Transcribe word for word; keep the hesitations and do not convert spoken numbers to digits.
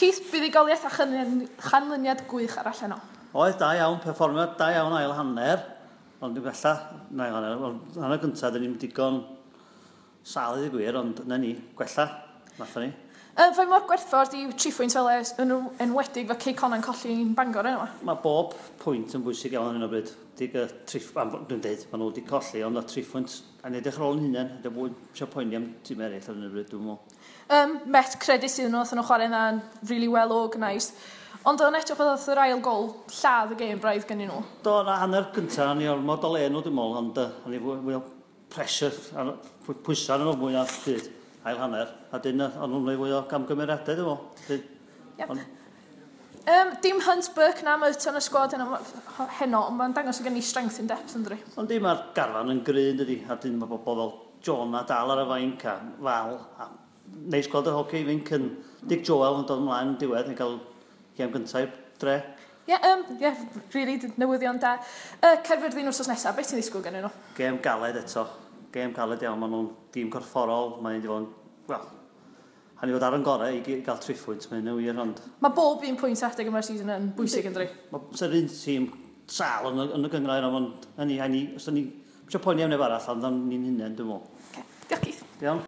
Keith, buddugoliaeth a chanlyniad gwych arall heno. Oedd, da iawn, perfformiad da iawn ail hanner, ond dwi'n gwella, na ail hanner, ond hanner gyntaf, dyn ni'n digon sal i gwir, ond na ni, gwella, nathon ni. Uh, Faint mor gwerthfawr di tri phwynt fel e, yn enwedig fe Cei Connah'n colli'n Bangor yna? Mae bob pwynt yn bwysig iawn ar hyn o bryd. Dig, uh, tri, dwi'n deud, maen nhw wedi colli, ond a tri phwynt, a ni edrych ar ôl yn hunain, dwi'n fwy eisiau poeni am tîm eraill ar hyn o bryd, dwi'n meddwl. Um, Met credit iddyn nhw, nhw chwarae yna'n really well organised. Ond o'n edrych fel oedd yr ail gol lladd y gêm braidd gen nhw. Do, na hanner gyntaf, ni ormod o le nhw, dwi'n meddwl, ond uh, ni fwy, fwy o pressure, pwysau arno nhw mwy na byd, ail hanner. A dyn, o'n nhw'n gwneud fwy o gamgymeriadau, dwi'n meddwl. Yep. On... Um, dim Hunt, Burke na Murton y sgwad heno, heno, ond mae'n dangos o gen i strength in depth yn dri. Ond dim mae'r garfan yn gry, dydy, a dyn mae bobl fel John a dal ar y fainc a Fal, a neis gweld y hoci ifanc yn Dick Joel yn dod ymlaen yn diwedd yn cael gêm gyntaf i'r dre. Ie, yeah, um, yeah, really newyddion da. Uh, Caerfyrddin wrthnos nesaf, beth ti'n ddisgwyl gen nhw? Gêm galed eto. Gêm galed iawn, maen nhw'n dîm corfforol, mae'n wedi bod yn, wel, han i fod ar yn gorau i gael tri phwynt, mae'n wir, ond... Mae bob un pwynt adeg yma'r season yn bwysig yn dri. Mae sy'r un tîm sal yn y, yn y gynghrair, ond hynny, hynny, os ni eisiau poeni am neb arall, ond ni'n hunain, dwi'n meddwl. Okay. Diolch, Keith. Iawn.